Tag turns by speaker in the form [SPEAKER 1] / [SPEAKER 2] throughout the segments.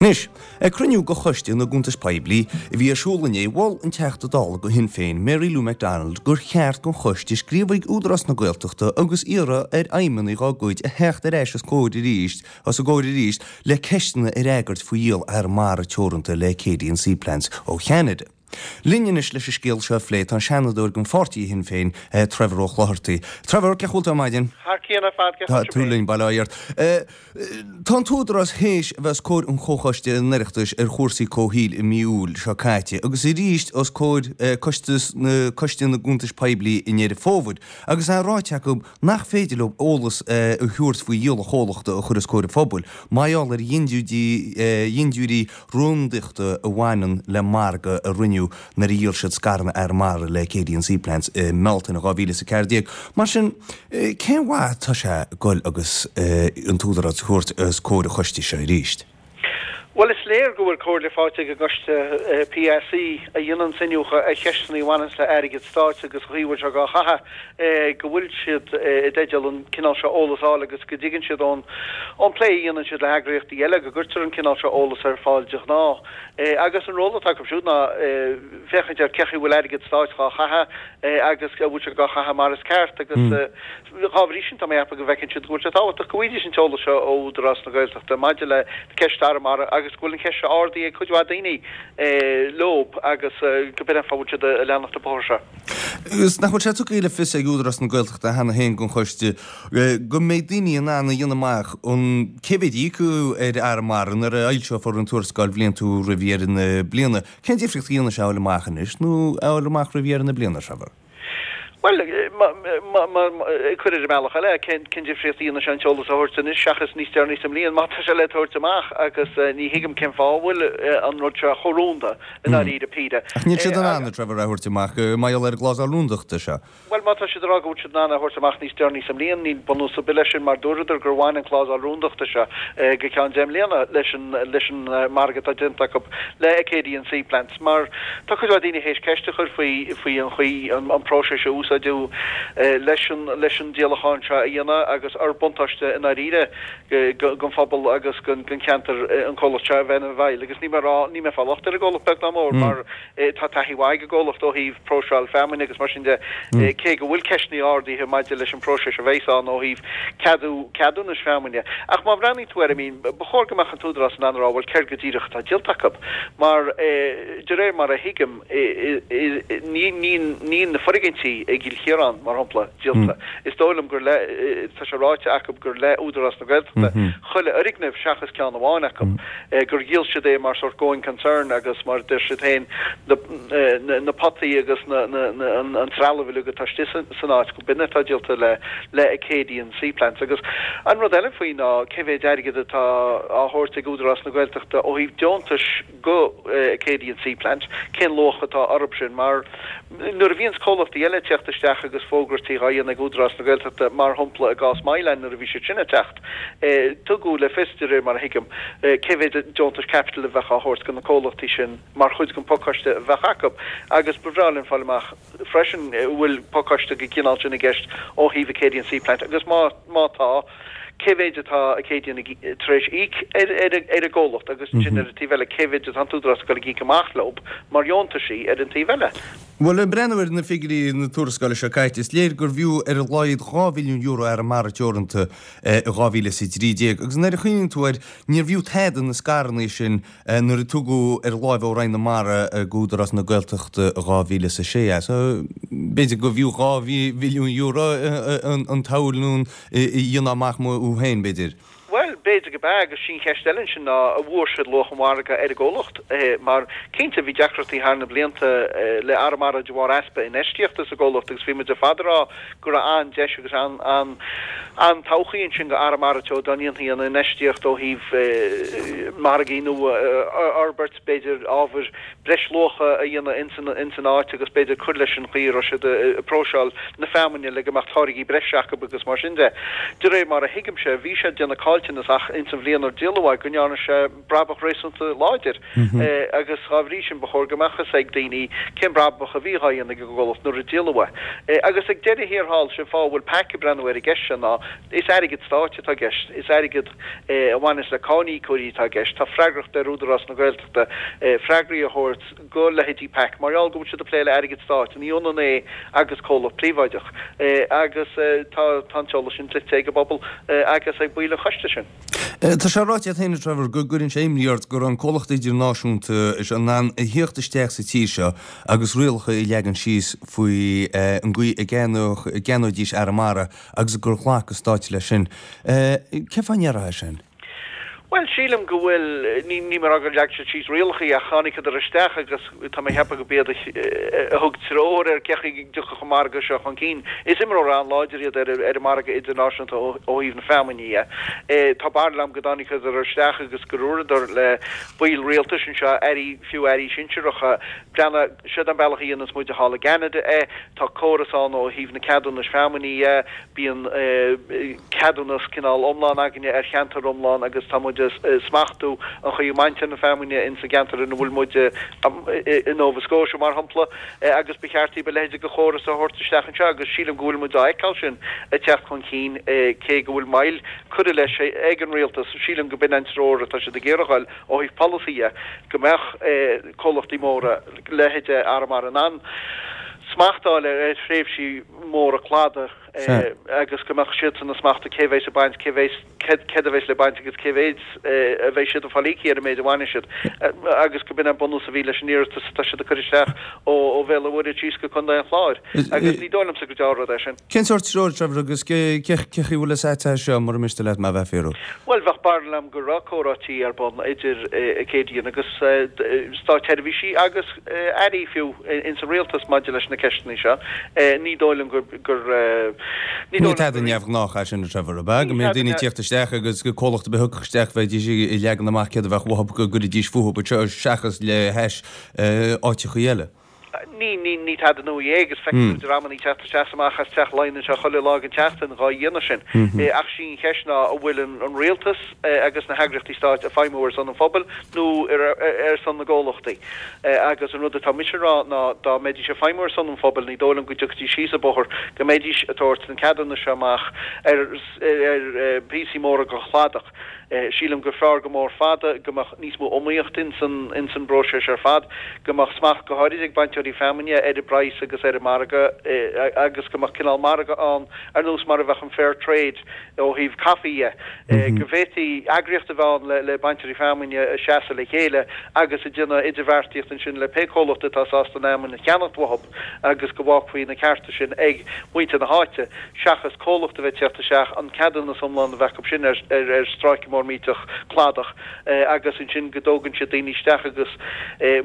[SPEAKER 1] Anois, ag cruinniú de Choiste na gCuntas Poiblí a bhí ar siúl inné, mhol an Teachta Dála do Shinn Féin, Mary Lou McDonald, gur cheart don choiste scríobh chuig Údarás na Gaeltachta agus iarraidh ar fheidhmeannaigh dá gcuid a theacht ar ais os comhair arís os a gcomhair arís le ceisteanna a fhreagairt faoi dhíol Arramara Teoranta le Acadian Seaplants ó Cheanada. Linn anois leis an scéal seo a phlé tá an Seanadóir don pháirtí Shinn Féin, Trevor Ó Clochartaigh. Trevor, cén chaoi a bhfuil tú ar maidin?
[SPEAKER 2] Thar cionn ar fad, cén
[SPEAKER 1] chaoi a bhfuil tú féin? Linn, bail ó Dhia ort. Tá an tÚdarás théis a bheith os comhair an Chomhchoiste an Oireachtais ar chúrsaí comhshaoil i mí Iúil seo caite agus arís os comhair Coiste Coiste na gCuntais Poiblí i nDeireadh Fómhair agus é ráite acu nach féidir leo eolas a thabhairt faoi dhíol an chomhlachta a chur os comhair an phobail mar gheall ar dhintiúirí rúndachta a bhaineann le margadh a rinneadh nuair a dhíol siad scaireanna Arramara le Acadian Seaplants i mBealtaine 2014. Mar sin, cén mhaith atá sé goil agus an tÚdarás a thabhairt os comhair an choiste seo arís?
[SPEAKER 2] Bhuel, is léir go bhfuil comhairle faighte ag an gcoiste PAC a dhéananns iniúchadh ar cheisteanna a bhaineanns le airgead stáit agus an chaoi a bhfuil sé dhá chaitheamh. go bhfuil siad i dteideal an cineál seo eolas a fháil agus go dtuigeann siad ón plé a dhéanann siad le heagraíochtaí eile go gcuirtear an cineál seo eolas ar fáil de ghnáth. Agus an ról atá acu siúd ná féachaint ar cé chaoi a bhfuil airgead stáit dhá chaitheamh agus an bhfuil sé dhá chaitheamh mar is ceart agus dhá bhrí sin tá mé ag ceapadh go bhfeiceann siad go bhfuil sé tábhachtach go bhfaighidís an t-eolas seo ó Údarás na Gaeltachta maidir le ceist Arramara agus go bhfuil an cheist seo ardaithe ag cuid mhaith daoine leob agus go b'in an fáth a bhfuil siad ag leanacht an bóthar seo.
[SPEAKER 1] Agus nach bhfuil sé tugtha le fios ag Údarás na Gaeltachta cheana féin don choiste go mbeidh daoine in ann a dhéanamh amach an cé mhéad a íocadh ar Arramara nuair a fhoilseofar an tuarascáil bhliantúil roimh dheireadh na bliana. Cén difríocht a dhéanfaidh sé a fháil amach anois nó a fháil amach roimh dheireadh na bliana, Trevor?
[SPEAKER 2] Bhuel, ag cur ar an mbealach eile, cén difríocht a dhéanfaidh sé an t-eolas a thabhairt anois seachas níos deireanaí sa mbliain má tá sé le tabhairt amach agus ní thuigim cén fáth a bhfuil an rud seo chomh rúnda. i ndáiríre píre.
[SPEAKER 1] Ach níl siad in ann, a Trevor, é a thabhairt amach mar gheall ar an gclásal rúndachta seo.
[SPEAKER 2] Bhuel, má tá siad ag rá go bhfuil siad in ann é a thabhairt amach níos deireanaí sa mbliain, níl bunús ar bith leis sin mar dúradar gur bhain an clásal rúndachta seo go ceann 10 mbliana leis an leis an margadh atá déanta acu le Acadian Seaplants mar tá cuid mhaith daoine théis ceist a chur faoi faoi an chaoi an an próiseas a úsáideadh leis an leis an díolachán seo a dhéanamh agus ar buntáiste i ndáiríre don phobal agus don cheantar an comhlacht seo a bheith ina bhfeighil agus níl mé ag rá, níl mé ag fáil locht ar an gcomhlacht beag ná mór mar tá taithí mhaith ag an gcomhlacht ó thaobh próiseáil feamainne agus mar sin de cé go bhfuil ceisteanna ardaithe maidir leis an bpróiseas a bheas ann ó thaobh ceadú ceadúnais feamainne. Ach má bhreathnaíonn tú air, I mean, ba chóir go mbeadh an t-údarás in ann a rá bhuel céard go díreach atá díolta acu mar de réir mar a thuigim níl na foirgintí i gCill Chiaráin, mar shampla, díolta. Is dóigh liom gur le, tá sé ráite acu gur le Údarás na Gaeltachta chuile fhoirgneamh seachas ceann amháin acu, gur dhíol siad é mar sórt going concern agus mar a deir siad féin, na potaí agus an trealamh uilig atá istigh san áit, go b'in atá díolta le Acadian Seaplants. Agus an rud eile faoi ná cé mhéid airgead atá á thabhairt ag Údarás na Gaeltachta ó thaobh deontais go Acadian Seaplant, cén luach atá orthu sin? Mar nuair a bhíonns comhlachtaí eile ag teacht isteach agus fógrairtí dhá dhéanamh ag Údarás na Gaeltachta, mar shampla i gcás Moyline nuair a bhí siad sin ag teacht, tugadh le fios, de réir mar a thuigim, cé mhéid deontais caipitil a bheadh á thabhairt do na comhlachtaí sin mar chuid den phacáiste a bheadh acu agus ba bhreá linn fáil amach freisin an bhfuil pacáiste den chineál sin i gceist ó thaobh Acadian Seaplant agus má má tá, cé mhéid atá Acadian tar éis íoc ar ar an gcomhlacht agus ansin ar an taobh eile cé mhéid atá an tÚdarás ag dul ag íoc amach leo mar dheontaisí ar an taobh eile.
[SPEAKER 1] Bhuel, ag breathnú ar na figiúirí na tuarascála seo caite, is léir gurbh fhiú ar a laghad €2 bhilliún Arramara Teoranta i 2013 agus nuair a chuimhníonn tú air, níorbh fhiú tada na scaireanna sin nuair a tugadh ar láimh ó Roinn na Mara go Údarás na Gaeltachta i 2006 é. So, b'fhéidir gurbh fhiú €2 bhilliún an tsamhail nó a dhéanamh amach uathu féin, b'fhéidir.
[SPEAKER 2] Bhuel, b'fhéidir go b'ea, agus sí an cheist eile ansin ná an bhfuair siad luach an mhargaidh ar an gcomhlacht? Mar, cinnte, bhí deacrachtaí thar na blianta le Arramara de bharr easpa infheistíochta sa gcomhlacht agus bhí muid ar fad ag rá go raibh an-deis agus an-todhchaí ansin go Arramara Teo dá ndéanfaí an infheistíocht ó thaobh margaí nua a fhorbairt, b'fhéidir ábhair breisluacha a dhéanamh ins an áit agus b'fhéidir cur leis an chaoi a raibh siad ag próiseáil na feamainne le go mbeadh táirgí breise acu agus mar sin de. De réir mar a thuigimse, bhí siad ag déanamh caillteanas ach. isteach ins an bhliain ar díoladh é go ndearna sé brabach réasúnta láidir agus dhá bhrí sin ba chóir go mbeadh fhios ag daoine cén brabach a bhí dhá dhéanamh ag an gcomhlacht nuair a díoladh é. Agus ag deireadh thiar thall, sé an fáth a bhfuil PAC ag breathnú ar an gceist seo ná is airgead stáit atá i gceist, is airgead a bhaineas le cáiníocóirí atá i gceist, tá freagracht ar Údarás na Gaeltachta freagraí a thabhairt go leithéidí PAC mar gheall go bhfuil siad ag plé le airgead stáit, ní ionann é agus comhlacht príobháideach. Agus tá an t-eolas sin dlite ag an bpobal agus ag baill an choiste sin.
[SPEAKER 1] Tá sé ráite agat féin, a Trevor, go gcuireann sé imní ort go raibh an comhlacht idirnáisiúnta seo in ann a thíocht isteach sa tír seo agus rialacha a leagan síos faoi an gcaoi a gceannóidís Arramara agus gur ghlac an Stát leis sin. Cén fáth a ndéarfá é sin?
[SPEAKER 2] Bhuel, sílim go bhfuil, ní ní mé ag rá gur leag siad síos rialacha ach tháinigeadar isteach agus tá mé ag ceapadh go b'iad a thug treoir ar cé chaoi a dtiocfadh an margadh seo chun cinn. Is imreoir an-láidir iad ar ar an margadh idirnáisiúnta ó thaobh na feamainne dhe. Tá barúil agam go dtáinigeadar isteach agus go ndúradar le baill rialtais anseo, airí, fiú airí sinsearacha, breathnaigh, siod an bealach a dhéananns muide thall i gCeanada é, tá córas ann ó thaobh na ceadúnais feamainne dhe, Bíonn ceadúnas cineál iomlán againne ar cheantar iomlán agus tá muid ag smachtú an chaoi a mbaintear na feamainne ins an gceantar ina bhfuil muid, i Nova Scotia mar shampla, agus ba cheart daoib a leithéid de chóras a thabhairt isteach anseo agus sílim go bhfuil muid á fheiceáil sin ag teacht chun cinn cé go bhfuil moill curtha leis ag an rialtas. Sílim go b'in an treoir atá siad ag iarraidh a fháil ó thaobh polasaí dhe, go mbeadh comhlachtaí móra, leithéide Arramara in ann smacht a fháil ar thréimhsí móra cladaigh agus go mbeadh siadsan ag smachtú cé bheas ag baint, cé bheas, céard a bheas le baint agus cé mhéid a bheidh siad ag fáil íoctha ar an méid a bhainfidh siad agus go b'in an bunús a bhí leis an iarratas atá siad ag cur isteach ó Bhéal an Mhuirthead síos go Contae an Chláir agus ní dóigh liomsa gur dea-rud é sin.
[SPEAKER 1] Cén sórt treoir, Trevor, agus cé chaoi a bhfuil fhios agat é seo, mura miste leat mé a bheith ag fiafraí?
[SPEAKER 2] Bhuel, bheadh barúil agam go raibh comhráití ar bun idir Acadian agus státsheirbhísí agus airí fiú ins an rialtas maidir leis na ceisteanna seo. Ní dóigh liom gur, gur,
[SPEAKER 1] ní dóigh liom gur. Ní tada neamhghnách é sin, a Trevor, ab ea? Go mbeadh daoine ag tíocht isteach agus comhlacht ar bith a thiocfadh isteach bheidís ag leagan amach céard a bheadh uathu go gcuirfidís fúthu anseo seachas le hais áiteachaí eile.
[SPEAKER 2] Ní, ní, ní tada nua é agus feicfidh tú dreamanna ag teacht isteach is amach as Teach Laighean anseo chuile lá den tseachtain dhá dhéanamh sin. Ach sí an cheist ná an bhfuil an rialtas agus na heagraíochtaí stáit ag feidhmiú ar son an phobail nó ar son na gcomhlachtaí. Agus an rud atá mise a rá ná dá mbeidís ag feidhmiú ar son an phobail ní dóigh liom go dtiocfaidís síos an bóthar go mbeidís ag tabhairt na ceadúnais seo amach ar ar phíosaí móra den chladach. Sílim gur fearr go mór fada go mbeadh níos mó iomaíochta ins an bpróiseas ar fad, go mbeadh smacht go háirid ag bainteoirí feamainne ar an bpraghas agus ar an margadh agus go mbeadh cineál margadh ann ar nós mar a bheadh an fair trade ó thaobh caife dhe, go bhféadfaí eagraíocht a bheith ann le bainteoirí feamainne a seasamh le chéile agus ag déanamh idirbheartaíocht ansin le pé comhlacht atá sásta an fheamainn a cheannacht uathu. agus go bhfágfaí na cearta sin ag muintir na háite, seachas comhlacht a bheith ag teacht isteach, an ceadúnas iomlán a bheith acu sin ar ar stráice mór millteach cladach agus ansin go dtógann siad daoine isteach agus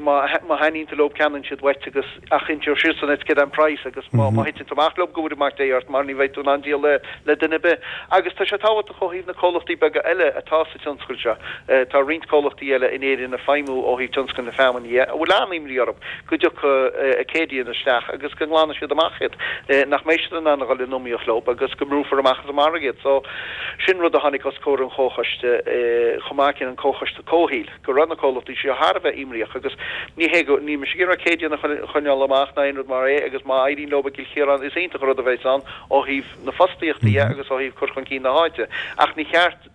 [SPEAKER 2] má má thaitníonn tú leo ceannaíonn siad uait agus ach inseoidh siadsan duit céard é an praghas agus má má thiteann tú amach leo go bhfóire mac Dé ort mar ní bheidh tú in ann díol le le duine ar bith. Agus tá sé tábhachtach ó thaobh na comhlachtaí beaga eile atá sa tionscal seo. Tá roinnt comhlachtaí eile in Éirinn ag feidhmiú ó thaobh tionscal na feamainne dhe, a bhfuil an-imní orthu go dtiocfaidh Acadian isteach agus go nglanfaidh siad amach iad, nach mbeidh siad in ann a dhul in iomaíocht leo agus go mbrúfar amach as an margadh iad. So, sin rud a tháinig os comhair an chomhchoiste chomh maith céanna, an Comhchoiste Comhshaoil, go raibh na comhlachtaí seo thar a bheith imníoch agus ní hé go, níl mise ag iarraidh Acadian a choinneáil amach ná aon rud mar é agus má éiríonn leo i gCill Chiaráin is iontach an rud a bheas ann ó thaobh na fostaíochta dhe agus ó thaobh cur chun cinn na háite ach ní cheart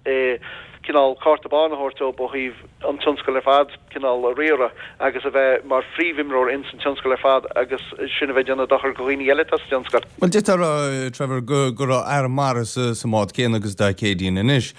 [SPEAKER 2] cineál cárta bán a thabhairt dóibh ó thaobh an tionscal ar fad cineál a riaradh agus a bheith mar phríomhimreoir ins an tionscal ar fad agus sin a bheith ag déanamh dochar do dhaoine eile atá sa tionscal.
[SPEAKER 1] Bhuel, d'fhéadfá a rá, Trevor, go go raibh Arramara sa sa mbád céanna agus atá Acadian anois.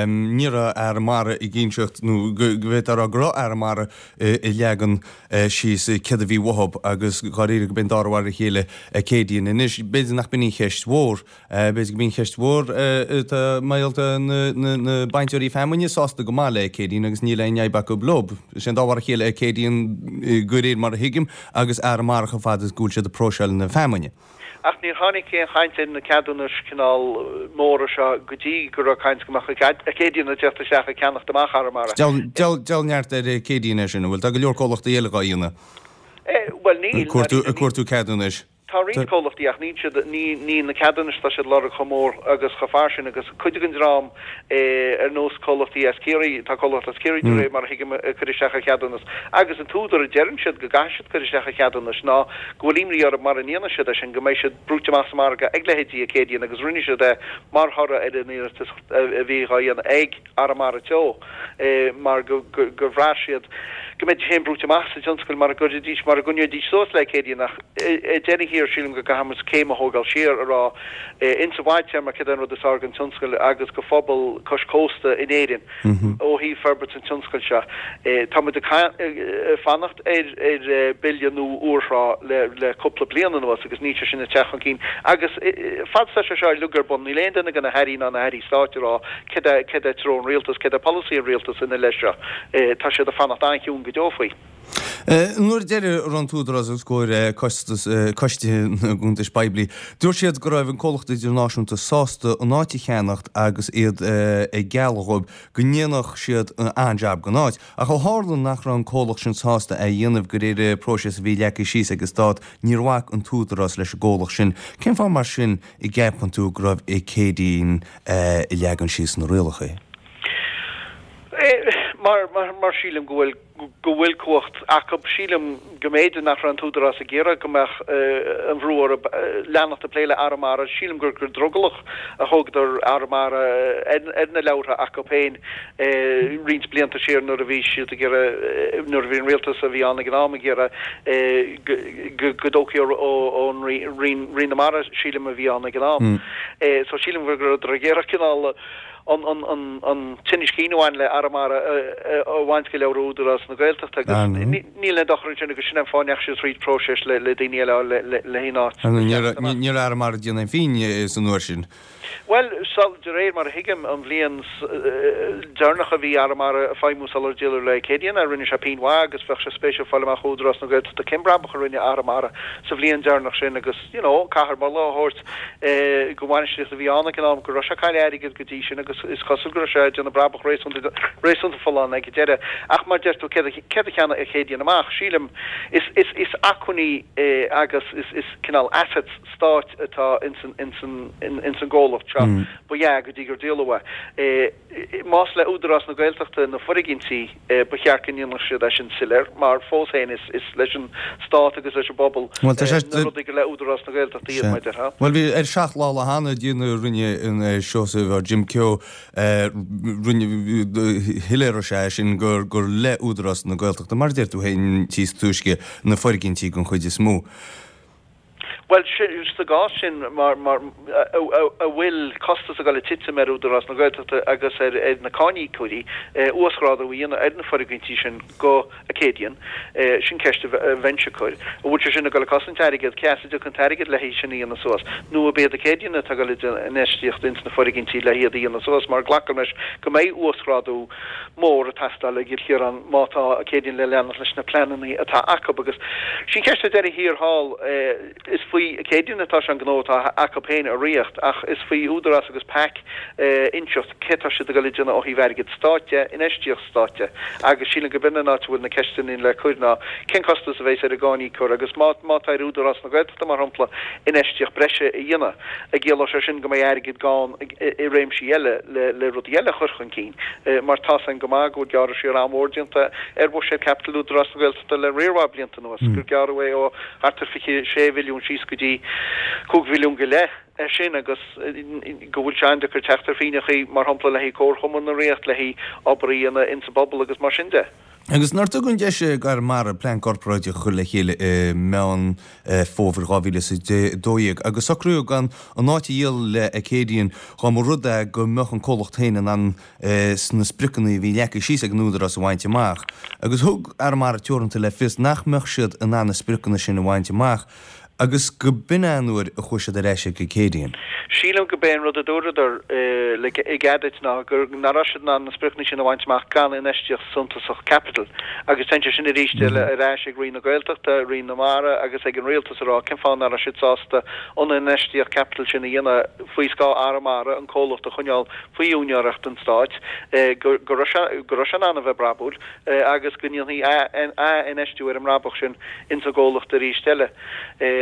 [SPEAKER 1] Ní raibh Arramara ag inseacht nó go go bhféadfá a rá go raibh Arramara ag leagan síos céard a bhí uathu agus dháiríre go b'in dara mhar a chéile Acadian anois. B'fhéidir nach b'in an cheist mhór. B'fhéidir go b'í an cheist mhór atá mar gheall tá na bainteoirí feamainne sásta go maith le Acadian agus níl aon fhadhb acu leo. Is é an dá mhar a chéile Acadian de réir mar a thuigim agus Arramara chomh fada is go bhfuil siad ag próiseáil na feamainne.
[SPEAKER 2] Ach níor tháinig aon chaint ar na ceadúnais cineál móra seo go dtí go raibh caint go mbeadh Acadian ag teacht isteach ag ceannacht amach Arramara.
[SPEAKER 1] Deabhal neart ar Acadian é sin, an bhfuil? Tá go leor comhlachtaí eile dhá dhéanamh.
[SPEAKER 2] Bhuel níl.
[SPEAKER 1] Ag cuartú ceadúnais.
[SPEAKER 2] Tá roinnt comhlachtaí ach níl siad, níl na ceadúnais atá siad ag lorg chomh mór agus chomh fairsing agus cuid den dream ar nós comhlachtaí as Ciarraí, tá comhlacht as Ciarraí de réir mar a thuigim ag cur isteach ar cheadúnas agus an t-údar a deireann siad go gcaithfidh siad cur isteach ar cheadúnais ná go bhfuil imní orthu mara ndéanfaidh siad é sin go mbeidh siad brúite amach sa margadh ag leithéidí Acadian agus rinne siad é mar thoradh ar an iarratas a bhí dhá dhéanamh ag Arramara Teo. mar gur bhraith siad go mbeidís féin brúite amach sa tionscal mara gcuirfidís, mara gcoinneoidís suas le Acadian ach ar deireadh thiar sílim go gcaithfidh muid céim a thógáil siar a rá insa bhfadtéarma céard é an rud is fearr don tionscal agus do phobal cois cósta in Éirinn ó thaobh forbairt an tionscail seo. Tá muid ag fanacht ar ar bille nua úrthrá le le cúpla bliain anuas agus níl sé sin ag teacht chun cinn agus fad is atá sé seo uilig ar bun níl aon duine de na hairí ná na hairí stáit ag rá Céard é, céard é treo an rialtais, céard é polasaí an rialtais ina leith seo? Tá siad ag fanacht an-chiúin go deo faoi.
[SPEAKER 1] Nuair a deireadh a raibh an tÚdarás os comhair costas, Coiste na gCuntas Poiblí, dúirt siad go raibh an comhlacht idirnáisiúnta sásta an áit a cheannacht agus iad ag gealladh dhóibh go ndéanfadh siad an-jab den áit. Ach ó tharla nach raibh an comhlacht sin sásta é a dhéanamh de réir an próiseas a bhí leagtha síos ag an Stát, níor bhac an tÚdarás leis an gcomhlacht sin. Cén fáth mar sin a gceapann tú go raibh Acadian ag leagan síos na rialacha?
[SPEAKER 2] Mar, mar sílim go bhfuil, go bhfuil cumhacht acu. Sílim go mb'fhéidir nach raibh an tÚdarás ag iarraidh go mbeadh an bhrú orthu leanacht ag plé le Arramara. Sílim gur go drogallach a thógadar Arramara ar na leabhartha acu féin roinnt blianta siar nuair a bhí siad ag iarraidh, nuair a bhí an rialtas a bhí ann ag an am ag iarraidh go dtógfaí ón Roinn na Mara, sílim, a bhí ann ag an am. So sílim go rabhadar ag iarraidh cineál an tinneas cinn a bhain le Arramara a bhaint de leabhra Údarás na Gaeltachta agus níl aon dochar ansin agus sin an fáth a ndeachaigh siad thríd próiseas le daoine eile a fháil le haon áit.
[SPEAKER 1] Ní raibh Arramara ag déanamh aon phingin san uair sin.
[SPEAKER 2] Bhuel, de réir mar a thuigim, an bhliain deireanach a bhí Arramara ag feidhmiú sular díoladh le Acadian é, rinne sé pingin mhaith agus bheadh sé spéisiúil fáil amach ó Údarás na Gaeltachta cén brabach a rinne Arramara sa bhliain deireanach sin agus, you know, caithfear moladh a thabhairt don bhainistíocht a bhí ann ag an am go raibh sé ag cailleadh airgid go dtí sin agus is cosúil go raibh sé ag déanamh brabach réasúnta, réasúnta folláin ag an deireadh. Ach mar deir tú, céard a, céard a cheannaigh Acadian amach? Sílim, is, is, is acmhainní agus is, is cineál assets, stáit atá ins an gcomhlacht seo, ba ea, go dtí gur díoladh é. Más le Údarás na Gaeltachta na foirgintí, ba cheart go ndéanfadh siad é sin soiléir, mar fós féin is leis an Stát agus leis an bpobal na rudaí gur le Údarás na Gaeltachta iad, mar a déarfá.
[SPEAKER 1] Bhuel, bhí ar 7 lá lá cheana, a rinne an Seosamh Jim Keogh, rinne, shoiléirigh sé é sin gur le Údarás na Gaeltachta, mar a deir tú féin, níos túisce, na foirgintí den chuid is mó.
[SPEAKER 2] Bhuel, sa gcás sin, mar, mar, a bhfuil costas ag dul ag titim ar Údarás na Gaeltachta agus ar na cáiníocóirí uasghrádú a dhéanamh ar na foirgintí sin go Acadian, sin ceist a bheinnse ag cur. An bhfuil sé sin ag dul ag cosaint airgead? Cé as a dtiocfaidh an t-airgead le hiad sin a dhéanamh suas? Nó ab iad Acadian atá ag dul ag déanamh infheistíocht ins na foirgintí le hiad a dhéanamh suas? Mar glacaim leis go mbeidh uasghrádú mór ag teastáil i gCill Chiaráin má tá Acadian le leanacht leis na pleananna atá acu agus sin ceist ar deireadh thiar thall. Is faoi Acadian atá sé an gnó atá acu féin a ritheacht ach is faoi Údarás agus PAC inseacht cé tá siad ag dul a déanamh ó thaobh airgead stáit de, infheistíocht stáit de agus sílim go b'in an áit a bhfuil na ceisteanna le cur ná cén costas a bheas ar an gcáiníocóir agus má má tá ar Údarás na Gaeltachta mar shampla infheistíocht breise a dhéanamh an gciallóidh sé sin go mbeidh airgead gann i réimsí eile le rudaí eile a chur chun cinn, mar tá's againn go maith go bhfuil gearradh siar an-mhór déanta ar bhuiséad caipitil Údarás na Gaeltachta le riar mhaith blianta anuas, gur gearradh é ó thart ar 26 mhilliún síos go dtí 5 mhilliún go leith é sin agus go bhfuil sé an-deacair teacht ar phínneachaí, mar shampla le haghaidh comharchumann na Ríocht, le haghaidh obair a dhéanamh insa bpobal agus mar sin de.
[SPEAKER 1] Agus nár tugadh an deis d'Arramara plean corparáideach a chur le chéile i Meán Fómhair 2012 agus socraíodh gan an áit a dhíol le Acadian dá mba rud é go mbeadh an comhlacht féin in ann na spriocanna a bhí leagtha síos ag an Údarás a bhaint amach. Agus thug Arramara Teoranta le fios nach mbeadh siad in ann na spriocanna sin a bhaint amach Agus go b'in é an uair a chuaigh siad ar ais ag Acadian.
[SPEAKER 2] Sílim go b'é an rud a dúradar le i gcead duit ná gur nach raibh siad in ann na spriocanna sin a bhaint amach gan infheistíocht suntasach caipitil. Agus téann sé sin arís eile ar ais ag Roinn na Gaeltachta, Roinn na Mara agus ag an Rialtas a rá cén fáth nach raibh siad sásta an infheistíocht caipitil sin a dhéanamh faoi scáth Arramara, an comhlacht a choinneáil faoi úinéireacht an Stáit, go raibh sé go raibh sé in ann a bheith brabúil agus go ndéanfaí ath-infheistiú ar an mbrabach sin ins an gcomhlacht arís eile.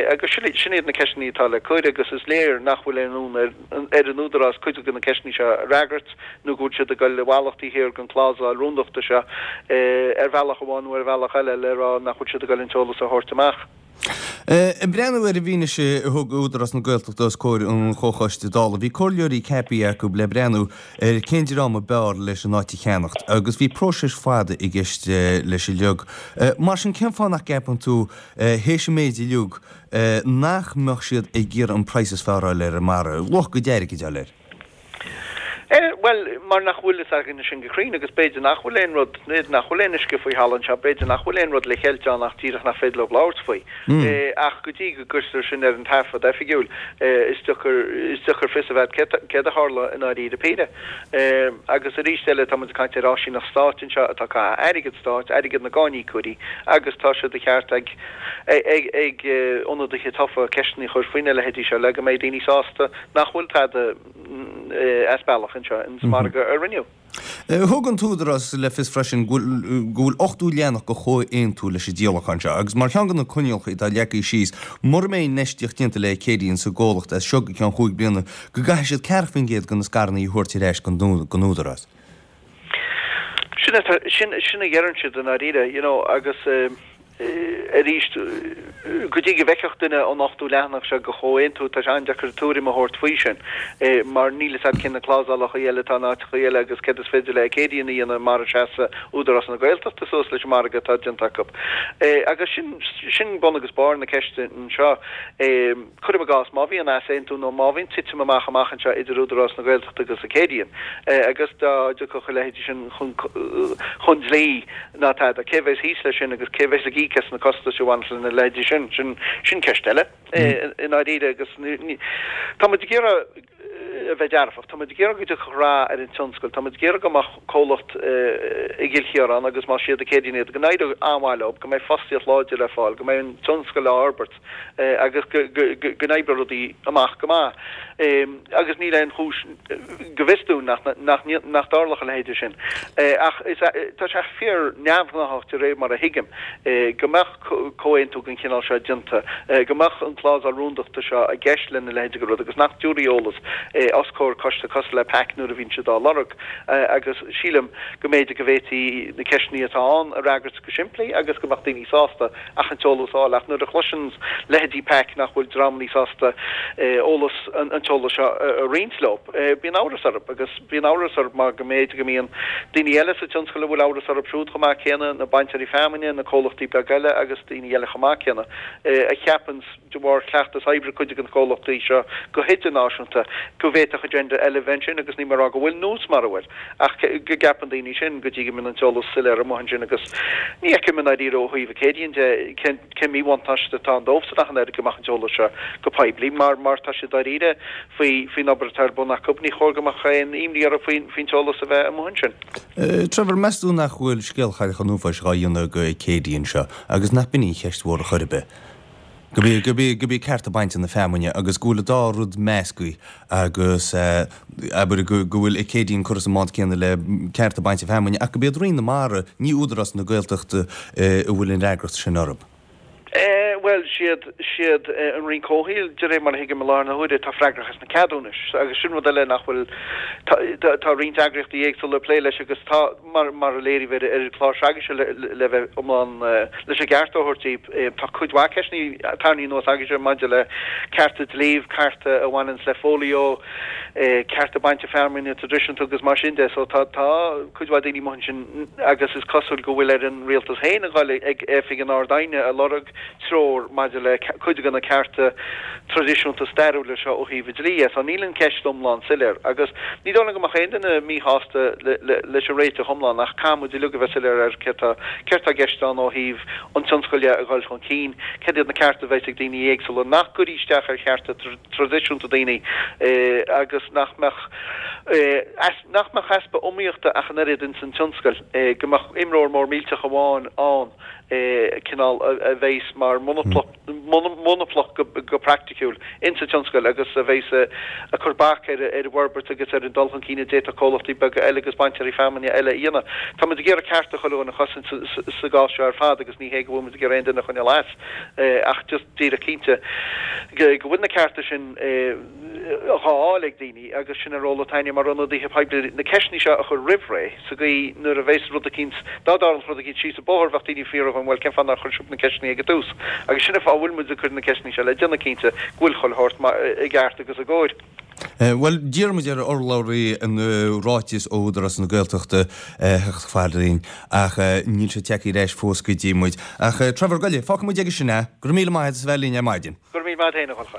[SPEAKER 2] Agus sin sin iad na ceisteanna atá le cur agus is léir nach bhfuil aon fhonn ar ar an Údarás cuid de na ceisteanna seo a fhreagairt nó go bhfuil siad ag dul i bhfalach taobh thiar den clásal rúndachta seo ar bhealach amháin nó ar bhealach eile le rá nach bhfuil siad ag dul an t-eolas a thabhairt amach.
[SPEAKER 1] Ag breathnú ar an bhfianaise a thug Údarás na Gaeltachta os comhair an Chomhchoiste Dála, bhí comhairleoirí ceaptha acu le breathnú ar cén dream ab fhearr leis an áit a cheannacht agus bhí próiseas fada i gceist leis uilig. Mar sin, cén fáth nach gceapann tú, théis an méid uilig, nach mbeadh siad ag iarraidh an praghas is fearr a fháil ar an margadh, luach a gcuid airgid a fháil air?
[SPEAKER 2] Bhuel, mar nach bhfuil fhios againne sin go cruinn agus b'fhéidir nach bhfuil aon rud, b'fhéidir nach bhfuil aon uisce faoi thalamh anseo, b'fhéidir nach bhfuil aon rud le ceilt ann ach díreach nach féidir leo labhairt faoi. Ach go dtí go gcuirtear sin ar an taifead oifigiúil, is deacair, is deacair fios a bheith agat céard a tharla i ndáiríre píre. Agus arís eile, tá muid ag caint ar áisíneacht stáit anseo atá ag caitheamh airgead stáit, airgead na gcáiníocóirí agus tá sé de cheart ag, ag, ag ionadaithe tofa ceisteanna a chur faoina leithéidí seo le go mbeidh daoine sásta nach bhfuil tada as bealach anseo ins an margadh a rinneadh.
[SPEAKER 1] Thug an tÚdarás le fios freisin go bhfuil 80 leathanach de chomhaontú leis an díolachán seo agus mar cheann de na coinníollacha atá leagtha síos, mura mbeidh infheistíocht déanta le Acadian sa gcomhlacht as seo go ceann chúig bliana, go gcaithfidh siad ceathracha faoin gcéad de na scaireanna a thabhairt ar ais don Údarás.
[SPEAKER 2] Sin a dheireann siad i ndáiríre, you know, agus Arís, go dtí go bhfeicfeadh duine an 80 leathanach seo de chomhaontú, tá sé an-deacair tuairim a thabhairt faoi sin, mar níl fhios a'd cé na clásálacha eile atá in áiteacha eile agus céard is féidir le Acadian a dhéanamh mara seasa Údarás na Gaeltachta suas leis an margadh atá déanta acu. Agus sin, sin bun agus barr na ceiste anseo. Cuirim i gcás, má bhíonn easaontú nó má bhíonn titim amach amach anseo idir Údarás na Gaeltachta agus Acadian, agus dá dtiocfadh a leithéidí sin chun dlí ná tada, cé bheas thíos leis sin agus cé bheas ag íoc as na costais a bhaineas lena leithéidí sin? Sin ceist eile i ndáiríre agus tá muid ag iarraidh a bheith dearfach. Tá muid ag iarraidh go dtiocfadh rath ar an tionscal. Tá muid ag iarraidh go mbeadh comhlacht i gCill Chiaráin agus más iad Acadian iad, go n-éireoidh an-mhaith leo, go mbeidh fostaíocht láidir le fáil, go mbeidh an tionscal á fhorbairt agus go n-oibreoidh rudaí amach go maith. Agus níl aon chúis, go bhfios dúinn, nach dtarlódh a leithéide sin. Ach tá sé fíor neamhghnáthach de réir mar a thuigim, go mbeadh. comhaontú den chineál seo déanta, go mbeadh an clásal rúndachta seo i gceist lena leithéid de rud agus nach dtabharfaí eolas os comhair coiste cosúil le PAC nuair a bhíonn siad á lorg agus sílim go mb'fhéidir go bhféadfaí na ceisteanna atá ann a fhreagairt go simplí agus go mbeadh daoine sásta ach an t-eolas a fháil ach nuair a chloiseann leithéidí PAC nach bhfuil dreamanna sásta eolas an t-eolas seo a roinnt leo bíonn amhras orthu agus Bíonn amhras orthu mar go mb'fhéidir go mbíonn daoine eile sa tionscal a bhfuil amhras orthu siúd chomh maith céanna, na bainteoirí feamainne, na comhlachtaí beaga eile agus daoine eile chomh maith céanna, a cheapann, de bharr chleachtas oibre cuid de na comhlachtaí seo go hidirnáisiúnta, go bhféadfadh agenda eile a bheith ansin agus níl mé ag rá go bhfuil nó mara bhfuil ach go gceapann daoine sin go dtí go mbíonn an t-eolas soiléir amuigh ansin agus ní fheicim i ndáiríre ó thaobh Acadian de cén cén míbhuntáiste atá ann dóibhsan ach an oiread go mbeadh an t-eolas seo go poiblí mar mar tá siad dáiríre faoi faoin obair atá ar bun acu. Ní chóir go mbeadh aon imní orthu faoin faoin t-eolas a bheith amuigh ansin.
[SPEAKER 1] Trevor, meas tú nach bhfuil scéal Chailleach an Uafáis dhá dhéanamh ag Acadian anseo agus nach b'in í an cheist mhór ar chor ar bith? Gurb í cearta bainte na feamainne agus go bhfuil an dá rud measctha agus abair go bhfuil Acadian curtha sa mbád céanna le cearta bainte feamainne ach gurb iad Roinn na Mara, ní Údarás na Gaeltachta a bhfuil an fhreagracht sin orthu.
[SPEAKER 2] Bhuel, siad, siad an Roinn Comhshaoil, de réir mar a thuigim i láthair na huaire, atá freagrach as na ceadúnais agus sin rud eile nach bhfuil, tá, tá roinnt eagraíochtaí éagsúla ag plé leis agus tá, mar, mar a léiríodh ar, ar an gclár s'agaibhse le, le bheith iomlán, leis an gceart a thabhairt daoibh, tá cuid mhaith ceisteanna tarraingthe anuas agaibhse maidir le cearta dlí, cearta a bhaineanns le fóilió, cearta bainte feamainne traidisiúnta agus mar sin de. So tá, tá cuid mhaith daoine amuigh ansin agus is cosúil go bhfuil ar an rialtas féin a dhul ag Oifig an Ard-Aighne a lorg treoir maidir le cuid de na cearta traidisiúnta stairiúla seo ó thaobh an dlí dhe. So níl an cheist iomlán soiléir agus ní dóigh liom go mbeadh aon duine míshásta leis an réiteach iomlán ach caithfidh muid uilig a bheith soiléir ar céard tá, céard tá i gceist ann ó thaobh an tionscail dhe a dhul chun cinn, céard iad na cearta a bheas ag daoine éagsúla nach gcuirfidh isteach ar chearta traidisiúnta daoine agus nach mbeadh nach mbeadh easpa iomaíochta ach an oiread ins an tionscal, go mbeadh imreoir mór millteach amháin ann, cineál a bheas mar monopóil. monaplacht go praiticiúil insa tionscal agus a bheas ag cur bac ar an bhforbairt agus ar an dul chun cinn a d'fhéadfadh comhlachtaí beaga eile agus bainteoirí feamainne eile a dhéanamh. Tá muid ag iarraidh cearta chuile dhuine a chosaint sa gcás seo ar fad agus ní hé go bhfuil muid ag iarraidh aon duine a choinneáil as ach just díreach cinnte go bhfuil na cearta sin á bhfáil ag daoine agus sin an ról atá againne mar ionadaithe poiblí na ceisteanna seo a chur roimh ré sa gcaoi nuair a bheas rud eicínt, dá dtarlódh rud eicínt síos an bóthar bheadh daoine ag fiafraí dhúinn bhuel cén fáth nár chuir sibh na ceisteanna ag an tús agus sin an fáth a bhfuil muid ag cur na ceisteanna seo le déanamh cinnte go bhfuil chuile shórt i gceart agus i gcóir.
[SPEAKER 1] Bhuel, d'iarr muid ar urlabhraí an ráiteas ó Údarás na Gaeltachta theacht chomh fada linn ach níl sé tagtha ar ais fós go dtí muid. Ach Trevor Guile, fágfaidh muid aige sin é. Go raibh míle maith agat as a bheith linn ar maidin.
[SPEAKER 2] Go raibh míle maith agat féin, a Dhonncha.